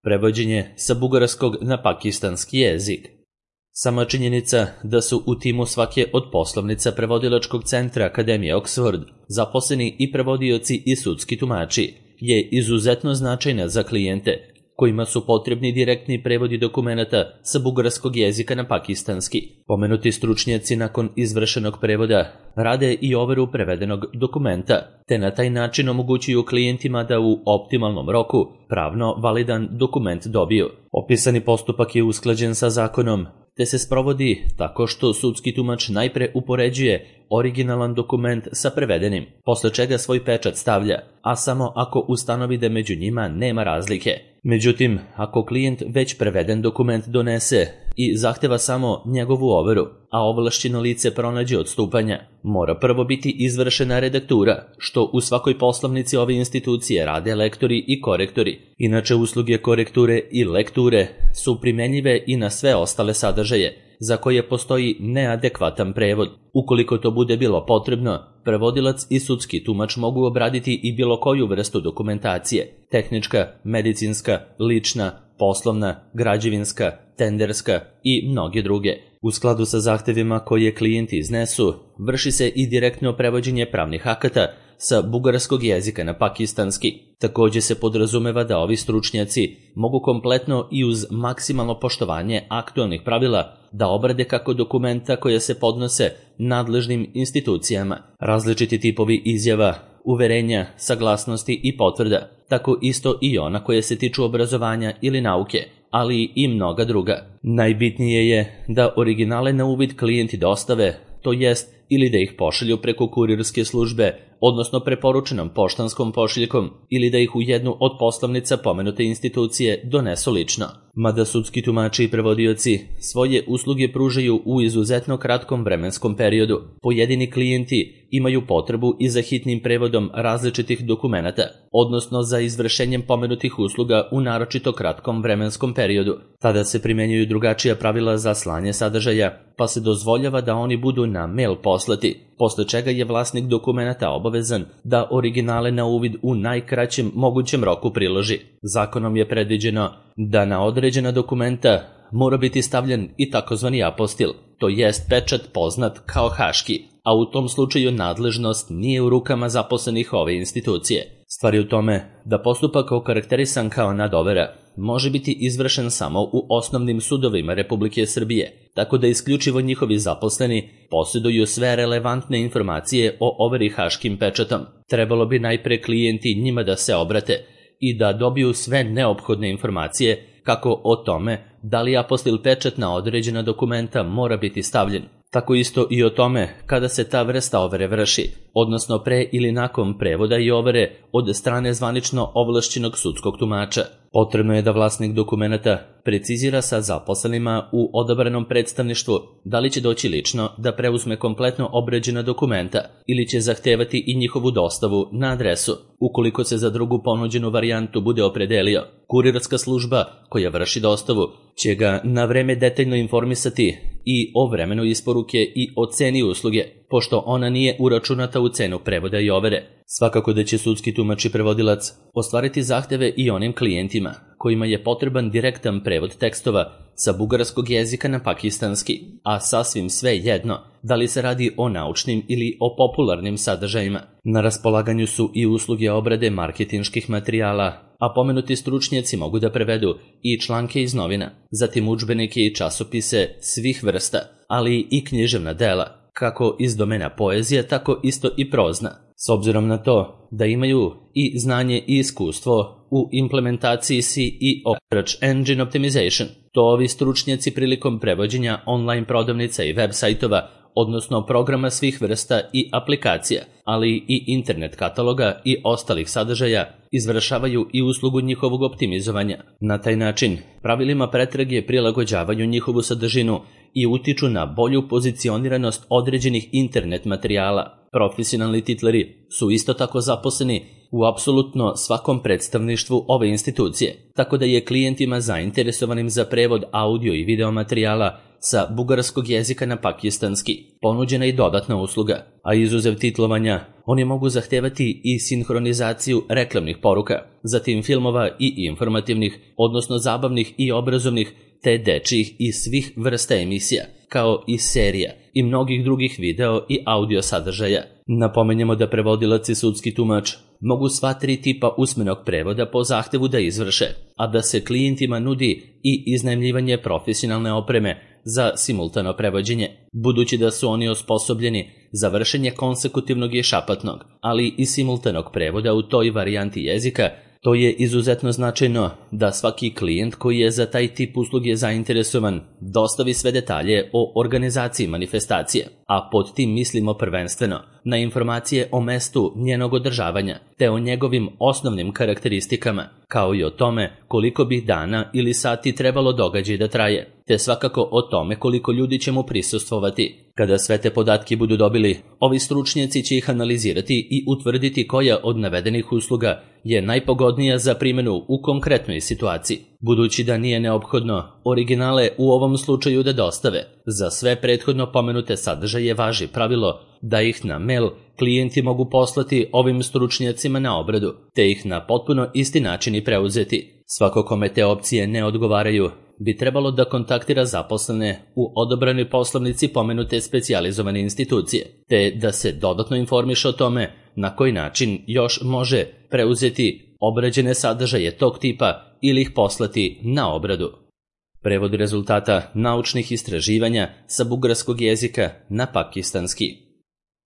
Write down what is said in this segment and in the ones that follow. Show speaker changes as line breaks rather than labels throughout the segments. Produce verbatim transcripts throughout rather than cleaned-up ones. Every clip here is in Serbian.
Prevođenje sa bugarskog na pakistanski jezik. Sama činjenica da su u timu svake od poslovnica prevodilačkog centra Akademije Oxford zaposleni i prevodioci i sudski tumači je izuzetno značajna za klijente kojima su potrebni direktni prevodi dokumenata sa bugarskog jezika na pakistanski. Pomenuti stručnjaci nakon izvršenog prevoda rade i overu prevedenog dokumenta, te na taj način omogućuju klijentima da u optimalnom roku pravno validan dokument dobiju. Opisani postupak je usklađen sa zakonom, te se sprovodi tako što sudski tumač najpre upoređuje originalan dokument sa prevedenim, posle čega svoj pečat stavlja, a samo ako ustanovi da među njima nema razlike. Međutim, ako klijent već preveden dokument donese i zahteva samo njegovu overu, a ovlašćeno lice pronađe odstupanja, mora prvo biti izvršena redaktura, što u svakoj poslovnici ove institucije rade lektori i korektori. Inače, usluge korekture i lekture su primenjive i na sve ostale sadržaje za koje postoji neadekvatan prevod. Ukoliko to bude bilo potrebno, prevodilac i sudski tumač mogu obraditi i bilo koju vrstu dokumentacije: tehnička, medicinska, lična, poslovna, građevinska, tenderska i mnoge druge. U skladu sa zahtevima koje klijenti iznesu, vrši se i direktno prevođenje pravnih akata sa bugarskog jezika na pakistanski. Takođe se podrazumeva da ovi stručnjaci mogu kompletno i uz maksimalno poštovanje aktualnih pravila da obrade kako dokumenta koje se podnose nadležnim institucijama, različiti tipovi izjava, uverenja, saglasnosti i potvrda, tako isto i ona koje se tiču obrazovanja ili nauke, ali i mnoga druga. Najbitnije je da originale na uvid klijenti dostave, to jest ili da ih pošalju preko kurirske službe, odnosno preporučenom poštanskom pošiljkom, ili da ih u jednu od poslovnica pomenute institucije donesu lično. Mada sudski tumači i prevodioci svoje usluge pružaju u izuzetno kratkom vremenskom periodu, pojedini klijenti imaju potrebu i za hitnim prevodom različitih dokumenata, odnosno za izvršenjem pomenutih usluga u naročito kratkom vremenskom periodu. Tada se primenjuju drugačija pravila za slanje sadržaja, pa se dozvoljava da oni budu na mail poslati, posle čega je vlasnik dokumenata obavezan da originale na uvid u najkraćem mogućem roku priloži. Zakonom je predviđeno da na određena dokumenta mora biti stavljen i takozvani apostil, to jest pečat poznat kao haški, a u tom slučaju nadležnost nije u rukama zaposlenih ove institucije. Stvar je u tome da postupak okarakterisan kao nadovera može biti izvršen samo u osnovnim sudovima Republike Srbije, tako da isključivo njihovi zaposleni posjeduju sve relevantne informacije o overi haškim pečatom. Trebalo bi najpre klijenti njima da se obrate i da dobiju sve neophodne informacije kako o tome da li apostil pečat na određena dokumenta mora biti stavljen, tako isto i o tome kada se ta vrsta overe vrši, odnosno pre ili nakon prevoda i overe od strane zvanično ovlašćenog sudskog tumača. Potrebno je da vlasnik dokumenata precizira sa zaposlenima u odabranom predstavništvu da li će doći lično da preuzme kompletno obrađena dokumenta ili će zahtevati i njihovu dostavu na adresu. Ukoliko se za drugu ponuđenu varijantu bude opredelio, kurirska služba koja vrši dostavu će ga na vreme detaljno informisati i o vremenu isporuke i o ceni usluge, pošto ona nije uračunata u cenu prevoda i overe. Svakako da će sudski tumač i prevodilac ostvariti zahteve i onim klijentima kojima je potreban direktan prevod tekstova sa bugarskog jezika na pakistanski, a sasvim sve jedno da li se radi o naučnim ili o popularnim sadržajima. Na raspolaganju su i usluge obrade marketinških materijala, a pomenuti stručnjaci mogu da prevedu i članke iz novina, zatim udžbenike i časopise svih vrsta, ali i književna dela, kako iz domena poezije, tako isto i prozna. S obzirom na to da imaju i znanje i iskustvo u implementaciji S E O Search Engine Optimization, to ovi stručnjaci prilikom prevođenja online prodavnica i web sajtova, odnosno programa svih vrsta i aplikacija, ali i internet kataloga i ostalih sadržaja, izvršavaju i uslugu njihovog optimizovanja. Na taj način, pravilima pretrage prilagođavaju njihovu sadržinu i utiču na bolju pozicioniranost određenih internet materijala. Profesionalni titleri su isto tako zaposleni u apsolutno svakom predstavništvu ove institucije, tako da je klijentima zainteresovanim za prevod audio i video materijala sa bugarskog jezika na pakistanski. Ponuđena i dodatna usluga, a izuzev titlovanja, oni mogu zahtevati i sinhronizaciju reklamnih poruka, zatim filmova i informativnih, odnosno zabavnih i obrazovnih, te dečijih i svih vrsta emisija, kao i serija i mnogih drugih video i audio sadržaja. Napomenjemo da prevodilac i sudski tumač mogu sva tri tipa usmenog prevoda po zahtevu da izvrše, a da se klijentima nudi i iznajmljivanje profesionalne opreme za simultano prevođenje, budući da su oni osposobljeni za vršenje konsekutivnog i šapatnog, ali i simultanog prevoda u toj varijanti jezika. To je izuzetno značajno da svaki klijent koji je za taj tip usluge zainteresovan dostavi sve detalje o organizaciji manifestacije, a pod tim mislimo prvenstveno na informacije o mestu njenog održavanja, te o njegovim osnovnim karakteristikama, kao i o tome koliko bi dana ili sati trebalo događaj da traje, te svakako o tome koliko ljudi će mu prisustvovati. Kada sve te podatke budu dobili, ovi stručnjaci će ih analizirati i utvrditi koja od navedenih usluga je najpogodnija za primjenu u konkretnoj situaciji. Budući da nije neophodno originale u ovom slučaju da dostave, za sve prethodno pomenute sadržaje važi pravilo da ih na mail klijenti mogu poslati ovim stručnjacima na obradu, te ih na potpuno isti način i preuzeti. Svako kome te opcije ne odgovaraju bi trebalo da kontaktira zaposlene u odobranoj poslovnici pomenute specijalizovane institucije, te da se dodatno informiše o tome na koji način još može preuzeti obrađene sadržaje tog tipa ili ih poslati na obradu. Prevod rezultata naučnih istraživanja sa bugarskog jezika na pakistanski.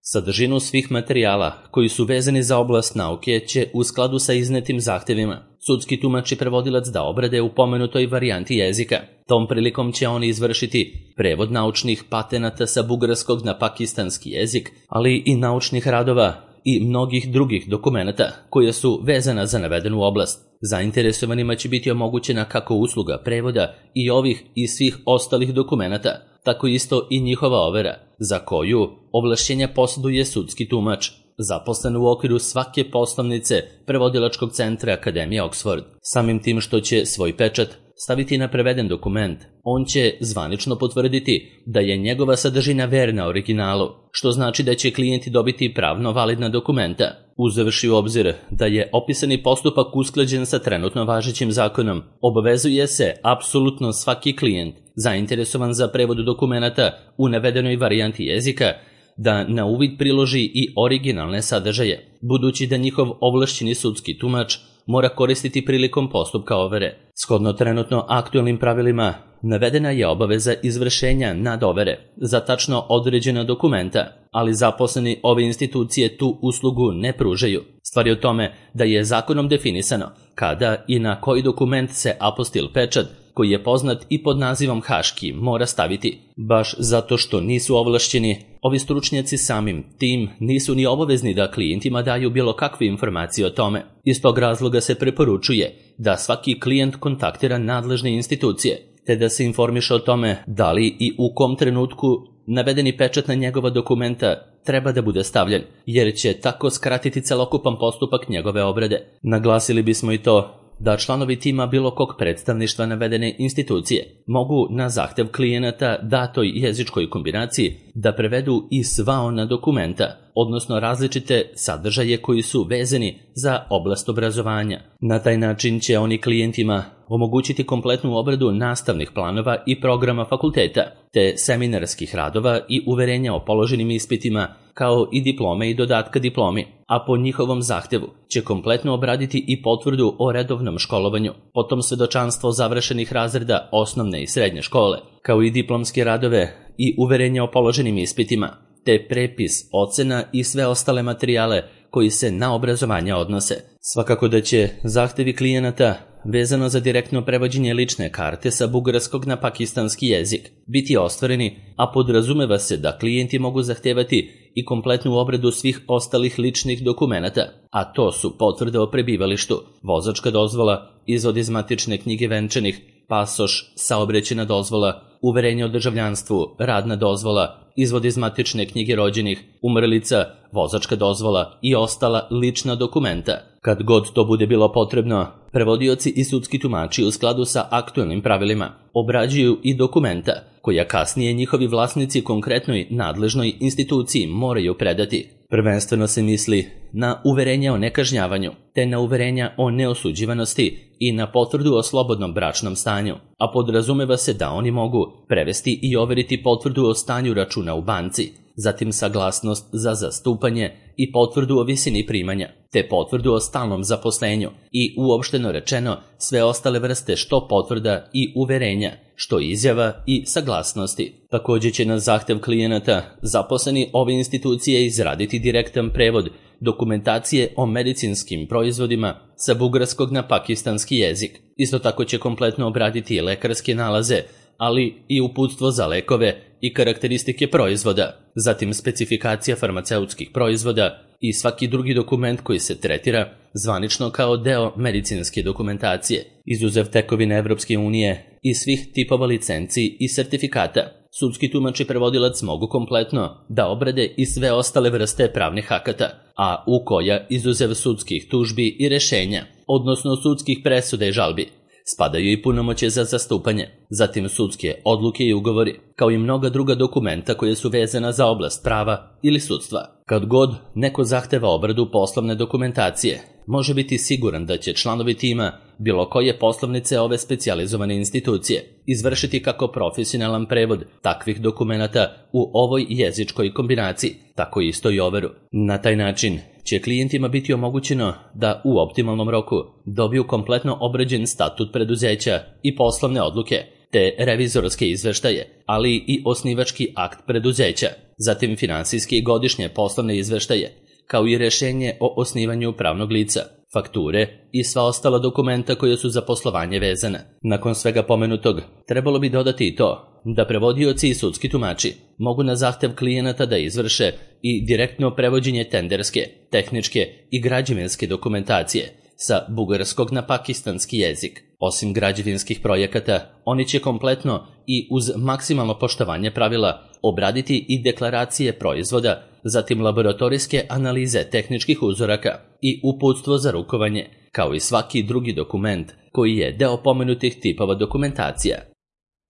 Sadržinu svih materijala koji su vezani za oblast nauke će u skladu sa iznetim zahtevima sudski tumač i prevodilac da obrade u pomenutoj varijanti jezika. Tom prilikom će oni izvršiti prevod naučnih patenata sa bugarskog na pakistanski jezik, ali i naučnih radova i mnogih drugih dokumenata koje su vezana za navedenu oblast. Zainteresovanima će biti omogućena kako usluga prevoda i ovih i svih ostalih dokumenata, tako isto i njihova overa, za koju ovlašćenja posjeduje sudski tumač, zaposlen u okviru svake poslovnice prevodilačkog centra Akademije Oxford. Samim tim što će svoj pečat staviti na preveden dokument, on će zvanično potvrditi da je njegova sadržina verna originalu, što znači da će klijenti dobiti pravno validna dokumenta. Uzevši u obzir da je opisani postupak usklađen sa trenutno važećim zakonom, obavezuje se apsolutno svaki klijent zainteresovan za prevod dokumenata u navedenoj varijanti jezika da na uvid priloži i originalne sadržaje, budući da njihov ovlašćeni sudski tumač mora koristiti prilikom postupka overe. Shodno trenutno aktuelnim pravilima, navedena je obaveza izvršenja nadovere za tačno određena dokumenta, ali zaposleni ove institucije tu uslugu ne pružaju. Stvar je o tome da je zakonom definisano kada i na koji dokument se apostil pečat, koji je poznat i pod nazivom haški, mora staviti. Baš zato što nisu ovlašćeni, ovi stručnjaci samim tim nisu ni obavezni da klijentima daju bilo kakve informacije o tome. Iz tog razloga se preporučuje da svaki klijent kontaktira nadležne institucije, te da se informiše o tome da li i u kom trenutku navedeni pečat na njegova dokumenta treba da bude stavljen, jer će tako skratiti celokupan postupak njegove obrade. Naglasili bismo i to da članovi tima bilo kog predstavništva navedene institucije mogu na zahtev klijenata datoj jezičkoj kombinaciji da prevedu i sva ona dokumenta, odnosno različite sadržaje koji su vezani za oblast obrazovanja. Na taj način će oni klijentima omogućiti kompletnu obradu nastavnih planova i programa fakulteta, te seminarskih radova i uverenja o položenim ispitima, kao i diplome i dodatka diplomi, a po njihovom zahtevu će kompletno obraditi i potvrdu o redovnom školovanju, potom svedočanstvo završenih razreda osnovne i srednje škole, kao i diplomske radove i uverenja o položenim ispitima, te prepis, ocena i sve ostale materijale koji se na obrazovanje odnose. Svakako da će zahtevi klijenata vezano za direktno prevođenje lične karte sa bugarskog na pakistanski jezik biti ostvareni, a podrazumeva se da klijenti mogu zahtevati i kompletnu obradu svih ostalih ličnih dokumenata, a to su potvrde o prebivalištu, vozačka dozvola, izvod iz matične knjige venčanih, pasoš, saobraćajna dozvola, uverenje o državljanstvu, radna dozvola, izvod iz matične knjige rođenih, umrlica, vozačka dozvola i ostala lična dokumenta. Kad god to bude bilo potrebno, prevodioci i sudski tumači u skladu sa aktuelnim pravilima obrađuju i dokumenta koja kasnije njihovi vlasnici konkretnoj nadležnoj instituciji moraju predati. Prvenstveno se misli na uverenja o nekažnjavanju, te na uverenja o neosuđivanosti i na potvrdu o slobodnom bračnom stanju, a podrazumeva se da oni mogu prevesti i overiti potvrdu o stanju računa u banci, zatim saglasnost za zastupanje i potvrdu o visini primanja, te potvrdu o stalnom zaposlenju i uopšteno rečeno sve ostale vrste što potvrda i uverenja, što izjava i saglasnosti. Također će na zahtev klijenata zaposleni ove institucije izraditi direktan prevod dokumentacije o medicinskim proizvodima sa bugarskog na pakistanski jezik. Isto tako će kompletno obraditi lekarske nalaze, ali i uputstvo za lekove i karakteristike proizvoda, zatim specifikacija farmaceutskih proizvoda i svaki drugi dokument koji se tretira zvanično kao deo medicinske dokumentacije, izuzev tekovine Evropske unije i svih tipova licenci i sertifikata. Sudski tumač i prevodilac mogu kompletno da obrade i sve ostale vrste pravnih akata, a u koja, izuzev sudskih tužbi i rešenja, odnosno sudskih presuda i žalbi, spadaju i punomoćje za zastupanje, zatim sudske odluke i ugovori, kao i mnoga druga dokumenta koje su vezana za oblast prava ili sudstva. Kad god neko zahteva obradu poslovne dokumentacije, može biti siguran da će članovi tima bilo koje poslovnice ove specijalizovane institucije izvršiti kako profesionalan prevod takvih dokumenata u ovoj jezičkoj kombinaciji, tako isto i overu. Na taj način će klijentima biti omogućeno da u optimalnom roku dobiju kompletno obrađen statut preduzeća i poslovne odluke, te revizorske izveštaje, ali i osnivački akt preduzeća, zatim finansijske i godišnje poslovne izveštaje, kao i rešenje o osnivanju pravnog lica, fakture i sva ostala dokumenta koja su za poslovanje vezana. Nakon svega pomenutog, trebalo bi dodati i to da prevodioci i sudski tumači mogu na zahtev klijenata da izvrše i direktno prevođenje tenderske, tehničke i građevinske dokumentacije sa bugarskog na pakistanski jezik. Osim građevinskih projekata, oni će kompletno i uz maksimalno poštovanje pravila obraditi i deklaracije proizvoda, zatim laboratorijske analize tehničkih uzoraka i uputstvo za rukovanje, kao i svaki drugi dokument koji je deo pomenutih tipova dokumentacija.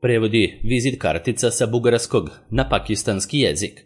Prevodi vizit kartica sa bugarskog na pakistanski jezik.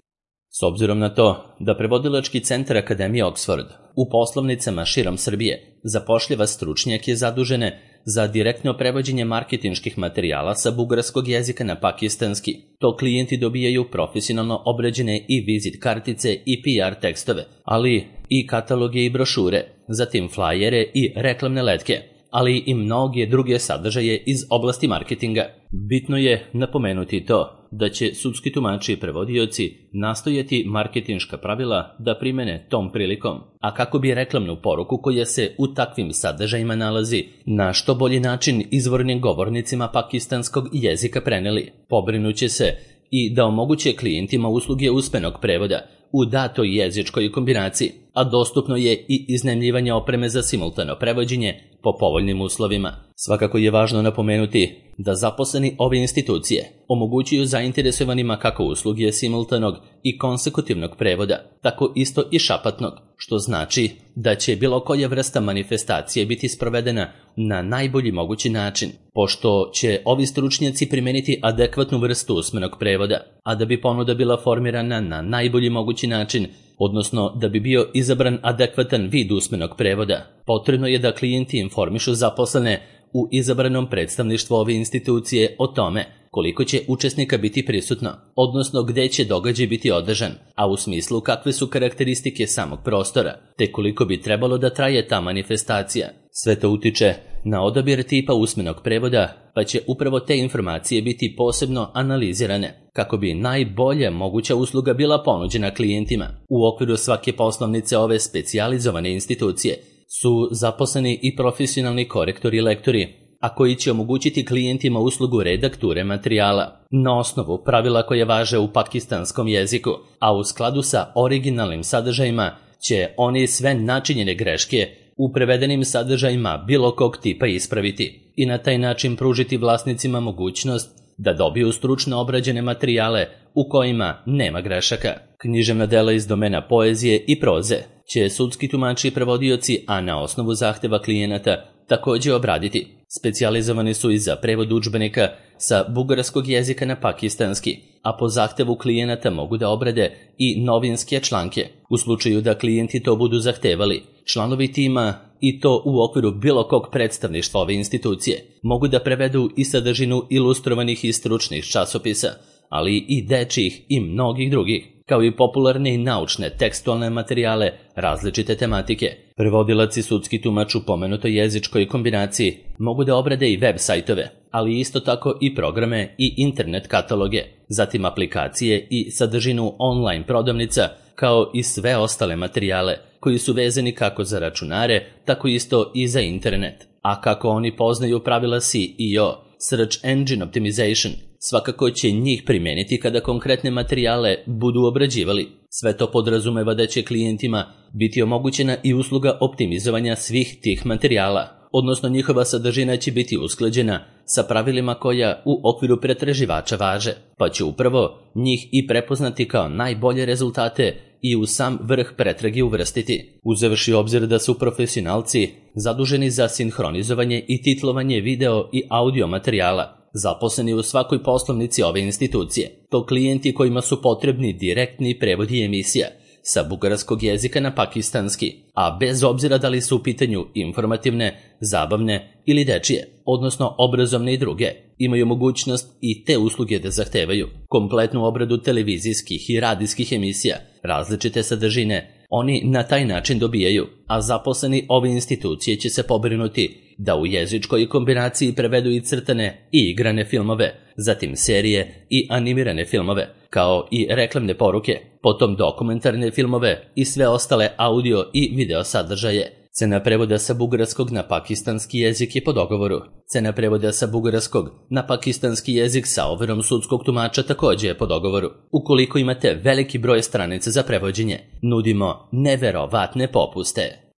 S obzirom na to da prevodilački centar Akademije Oxford u poslovnicama širom Srbije zapošljava stručnjake zadužene za direktno prevođenje marketinških materijala sa bugarskog jezika na pakistanski, to klijenti dobijaju profesionalno obrađene i vizit kartice i P R tekstove, ali i kataloge i brošure, zatim flajere i reklamne letke, ali i mnoge druge sadržaje iz oblasti marketinga. Bitno je napomenuti to da će sudski tumači i prevodioci nastojati marketinška pravila da primene tom prilikom, a kako bi reklamnu poruku koja se u takvim sadržajima nalazi na što bolji način izvornim govornicima pakistanskog jezika preneli. Pobrinuće se i da omoguće klijentima usluge usmenog prevoda u datoj jezičkoj kombinaciji, a dostupno je i iznajmljivanje opreme za simultano prevođenje po povoljnim uslovima. Svakako je važno napomenuti da zaposleni ove institucije omogućuju zainteresovanima kako usluge simultanog i konsekutivnog prevoda, tako isto i šapatnog, što znači da će bilo koja vrsta manifestacije biti sprovedena na najbolji mogući način, pošto će ovi stručnjaci primeniti adekvatnu vrstu usmenog prevoda, a da bi ponuda bila formirana na najbolji mogući način, odnosno da bi bio izabran adekvatan vid usmenog prevoda, potrebno je da klijenti informišu zaposlene u izabranom predstavništvu ove institucije o tome koliko će učesnika biti prisutno, odnosno gde će događaj biti održan, a u smislu kakve su karakteristike samog prostora, te koliko bi trebalo da traje ta manifestacija. Sve to utiče na odabir tipa usmenog prevoda, pa će upravo te informacije biti posebno analizirane, kako bi najbolja moguća usluga bila ponuđena klijentima. U okviru svake poslovnice ove specijalizovane institucije su zaposleni i profesionalni korektori i lektori, a koji će omogućiti klijentima uslugu redakture materijala na osnovu pravila koje važe u pakistanskom jeziku, a u skladu sa originalnim sadržajima će oni sve načinjene greške u prevedenim sadržajima bilo kog tipa ispraviti i na taj način pružiti vlasnicima mogućnost da dobiju stručno obrađene materijale u kojima nema grešaka. Književna dela iz domena poezije i proze će sudski tumači i prevodioci, a na osnovu zahteva klijenata, također obraditi. Specijalizovani su i za prevod udžbenika sa bugarskog jezika na pakistanski, a po zahtevu klijenata mogu da obrade i novinske članke. U slučaju da klijenti to budu zahtevali, članovi tima, i to u okviru bilo kog predstavništva ove institucije, mogu da prevedu i sadržinu ilustrovanih i stručnih časopisa, ali i dečjih i mnogih drugih, kao i popularne i naučne tekstualne materijale različite tematike. Prevodilac i sudski tumač u pomenutoj jezičkoj kombinaciji mogu da obrade i web sajtove, ali isto tako i programe i internet kataloge, zatim aplikacije i sadržinu online prodavnica, kao i sve ostale materijale koji su vezani kako za računare, tako isto i za internet. A kako oni poznaju pravila S E O, Search Engine Optimization, svakako će njih primeniti kada konkretne materijale budu obrađivali. Sve to podrazumeva da će klijentima biti omogućena i usluga optimizovanja svih tih materijala, odnosno njihova sadržina će biti usklađena sa pravilima koja u okviru pretraživača važe, pa će upravo njih i prepoznati kao najbolje rezultate i u sam vrh pretrage uvrstiti. Uzevši obzir da su profesionalci zaduženi za sinhronizovanje i titlovanje video i audio materijala, zaposleni u svakoj poslovnici ove institucije, to klijenti kojima su potrebni direktni prevodi emisija sa bugarskog jezika na pakistanski, a bez obzira da li su u pitanju informativne, zabavne ili dečije, odnosno obrazovne i druge, imaju mogućnost i te usluge da zahtevaju. Kompletnu obradu televizijskih i radijskih emisija, različite sadržine, oni na taj način dobijaju, a zaposleni ove institucije će se pobrinuti da u jezičkoj kombinaciji prevedu i crtane i igrane filmove, zatim serije i animirane filmove, kao i reklamne poruke, potom dokumentarne filmove i sve ostale audio i video sadržaje. Cena prevoda sa bugarskog na pakistanski jezik je po dogovoru. Cena prevoda sa bugarskog na pakistanski jezik sa overom sudskog tumača također je po dogovoru. Ukoliko imate veliki broj stranica za prevođenje, nudimo neverovatne popuste.